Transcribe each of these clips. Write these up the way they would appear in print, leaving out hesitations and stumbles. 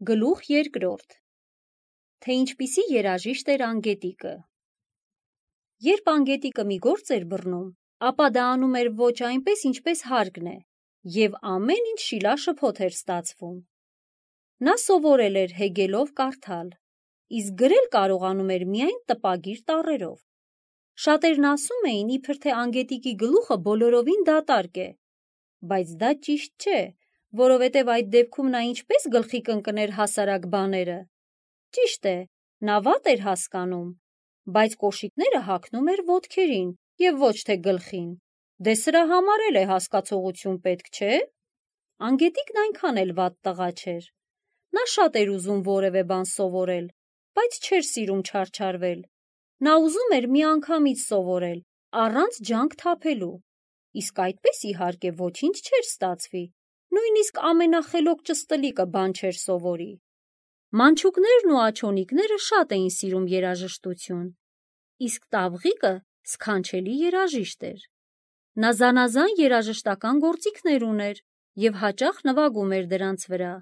Գլուխ երկրորդ. Թե ինչպիսի երաժիշտ էր Անգետիկը։ Երբ Անգետիկը մի գործ էր բռնում, ապա դա անում էր ոչ այնպես, ինչպես հարկն է, և ամեն ինչ շիլաշփոթ էր ստացվում։ Նա սովորել էր հեգելով կարդալ, իսկ գրել կարողանում էր միայն տպագիր տառերով։ Շատերն ասում էին, իբր թե Անգետիկի գլուխը բոլորովին դատարկ է, բայց դա ճիշտ չէ, որովհետև այդ դեպքում նա ինչպես գլխի կընկներ հասարակ բաները։ Ճիշտ է, նա վատ էր հասկանում, բայց կոշիկները հագնում էր ոտքերին և ոչ թե գլխին։ Դե սրա համար էլ է հասկացողություն պետք, չէ՞։ Անգետիկն այնքան էլ վատ տղա չէր։ Նա շատ էր ուզում որևէ բան սովորել, բայց չէր սիրում չարչարվել։ Նա ուզում էր միանգամից սովորել, առանց ջանք թափելու, իսկ այդպես իհարկե ոչինչ չէր ստացվի, նույնիսկ ամենախելոք ճստլիկը բան չէր սովորի։ Մանչուկներն ու աջոնիկները շատ էին սիրում երաժշտություն, իսկ Տավղիկը սքանչելի երաժիշտ էր։ Նա զանազան երաժշտական գործիքներ ուներ և հաճախ նվագում էր դրանց վրա։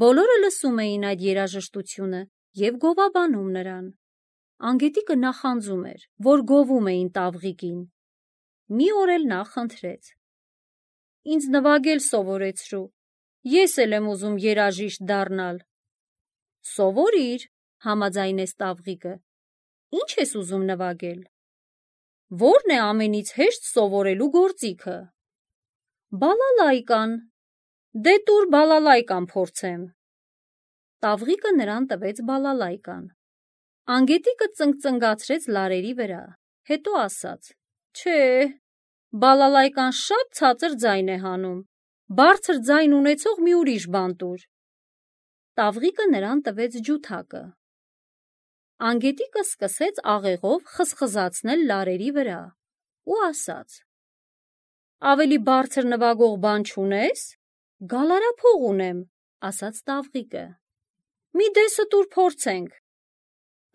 Բոլորը լսում էին այդ երաժշտությունը և գովաբանում նրան։ Անգետիկը նախանձում էր, որ գովում էին Տավղիկին։ Մի օր էլ նա խնդրեց. «Ինձ նվագել սովորեցրու, ես էլ եմ ուզում երաժիշտ դառնալ»։ «Սովորիր», համաձայնեց Տավղիկը։ «Ինչ ես ուզում նվագել»։ «Ո՞րն է ամենից հեշտ սովորելու գործիքը»։ «Բալալայկան»։ «Դե տուր բալալայկան փորձեմ»։ Տավղիկը նրան տվեց բալալայկան։ Անգետիկը ծնգծնգացրեց լարերի վրա, հետո ասաց. «Չէ, բալալայկան շատ ցածր ձայն է հանում, բարձր ձայն ունեցող մի ուրիշ բան տուր»։ Տավղիկը նրան տվեց ջութակը։ Անգետիկը սկսեց աղեղով խզխզացնել լարերի վրա ու ասաց. «Ավելի բարձր նվագող բան չունե՞ս»։ «Գալարափող ունեմ», ասաց Տավղիկը։ «Մի դեսը տուր փորձենք»։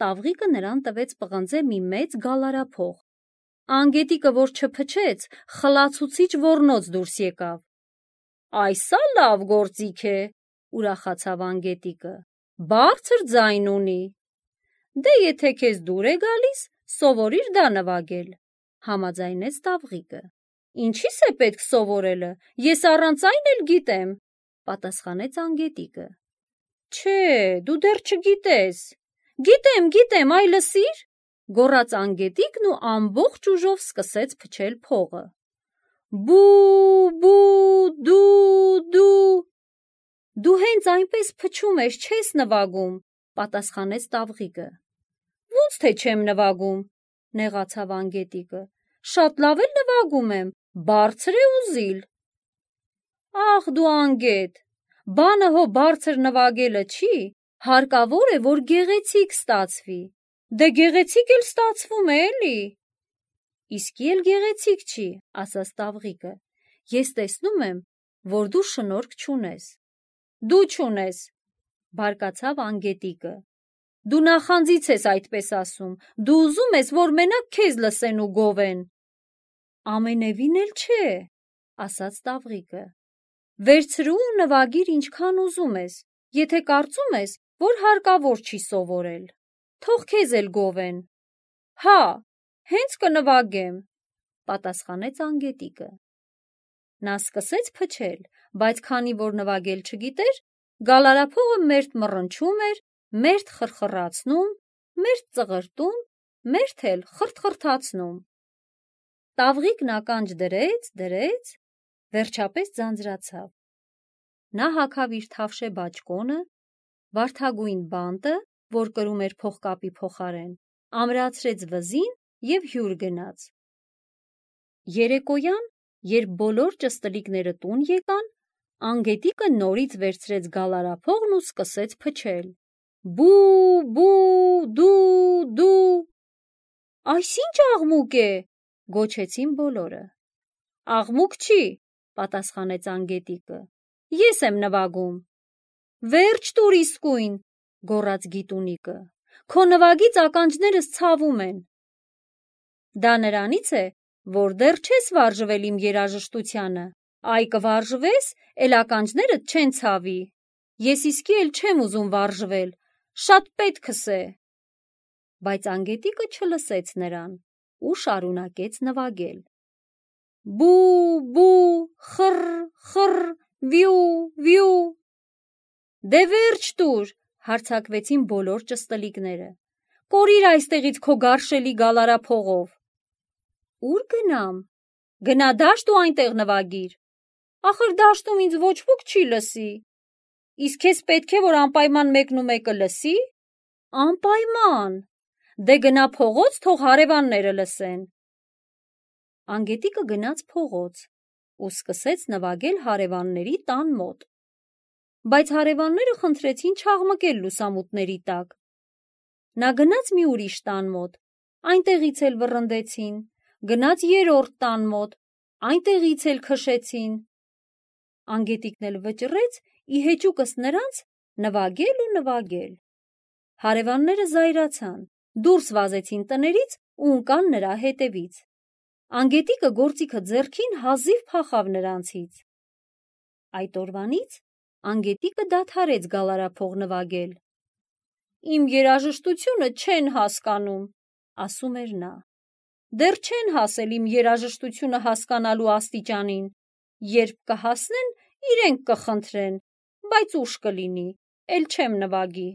Տավղիկը նրան տվեց պղնձե մի մեծ գալարափող։ Անգետիկը որ չփչեց, խլացուցիչ ոռնոց դուրս եկավ։ «Այս ա լավ գործիք է», ուրախացավ Անգետիկը, «բարձր ձայն ունի»։ «Դե եթե քեզ դուր է գալիս, սովորիր դա նվագել», համաձայնեց Տավղիկը։ «Ինչի՞ս է պետք սովորելը, ես առանց այն էլ գիտեմ», պատասխանեց Անգետիկը։ «Չէ, դու դեռ չգիտես»։ Գիտեմ, այ լսիր, գոռաց Անգետիկն ու ամբողջ ուժով սկսեց փչել փողը։ Բու, դու։ Դու հենց այնպես փչում ես, չես նվագում, պատասխանեց Տավղիկը։ Ոնց թե չեմ նվագում, նեղացավ Անգետիկը։ Շատ լավ էլ նվագում եմ, բարձր է ու զիլ։ Ախ դու Անգետ, բանը հո բարձր նվագելը չի, հարկավոր է, որ գեղեցիկ ստացվի։ Դե գեղեցիկ էլ ստացվում է, էլի։ Իսկի էլ գեղեցիկ չի, ասաց Տավղիկը։ Ես տեսնում եմ, որ դու շնորհք չունես։ Դու չունես, բարկացավ Անգետիկը։ Դու նախանձից ես այդպես ասում, դու ուզում ես, որ մենակ քեզ լսեն ու գովեն։ Ամենևին էլ չէ, ասաց Տավղիկը։ Վերցրու ու նվագիր ինչքան ուզում ես, եթե կարծում ես, որ հարկավոր չի սովորել։ Թող քեզ էլ գովեն։ Հա, հենց կնվագեմ, պատասխանեց Անգետիկը։ Նա սկսեց փչել, բայց քանի որ նվագել չգիտեր, գալարափողը մերթ մռնչում էր, մերթ խրխռացնում, մերթ ծղրտում, մերթ էլ խրթխրթացնում։ Տավղիկն ականջ դրեց, վերջապես ձանձրացավ։ Նա հագավ իր թավշե բաճկոնը, վարդագույն բանտը, որ կրում էր փողկապի փոխարեն, ամրացրեց վզին և հյուր գնաց։ Երեկոյան, երբ բոլոր ճստլիկները տուն եկան, Անգետիկը նորից վերցրեց գալարափողն ու սկսեց փչել։ Բու, դու։ Այս ինչ աղմուկ է, գոչեցին բոլորը։ Աղմուկ չի, պատասխանեց Անգետիկը։ Ես եմ նվագում։ Վերջ տուր իսկույն, գոռաց գիտունիկը։ Քո նվագից ականջներս ցավում են։ Դա նրանից է, որ դեռ չես վարժվել իմ երաժշտությանը, այ կվարժվես, էլ ականջներդ չեն ցավի։ Ես իսկի էլ չեմ ուզում վարժվել, շատ պետքս է։ Բայց անգետիկը չլսեց նրան ու շարունակեց նվագել. Բու, բու, խռ, խռ, վյու, վյու։ Դե վերջ տուր, հարցակվեցին բոլոր ճստլիկները։ Կորիր այստեղից քո գարշելի գալարափողով։ Ուր գնամ։ Գնա դաշտ ու այնտեղ նվագիր։ Ախր դաշտում ինձ ոչ ոք չի լսի։ Իսկ քեզ պետք է, որ անպայման մեկն ու մեկը լսի։ Անպայման։ Դե գնա փողոց, թող հարևանները լսեն։ Անգետիկը գնաց փողոց ու սկսեց նվագել հարևանների տան մոտ։ Բայց հարևանները խնդրեցին չաղմկել լուսամուտների տակ։ Նա գնաց մի ուրիշ տան մոտ, այնտեղից էլ վռնդեցին, գնաց երրորդ տան մոտ, այնտեղից էլ քշեցին։ Անգետիկն էլ վճռեց ի հեճուկս նրանց նվագել ու նվագել։ Հարևանները զայրացան, դուրս վազեցին տներից ու ընկան նրա հետևից։ Անգետիկը գործիքը ձեռքին հազիվ փախավ նրանցից։ Այդ օրվանից անգետիկը դադարեց գալարափող նվագել։ Իմ երաժշտությունը չեն հասկանում, ասում էր նա։ Դեռ չեն հասել իմ երաժշտությունը հասկանալու աստիճանին, երբ կհասնեն, իրենք կխնդրեն, բայց ուշ կլինի, էլ չեմ նվագի։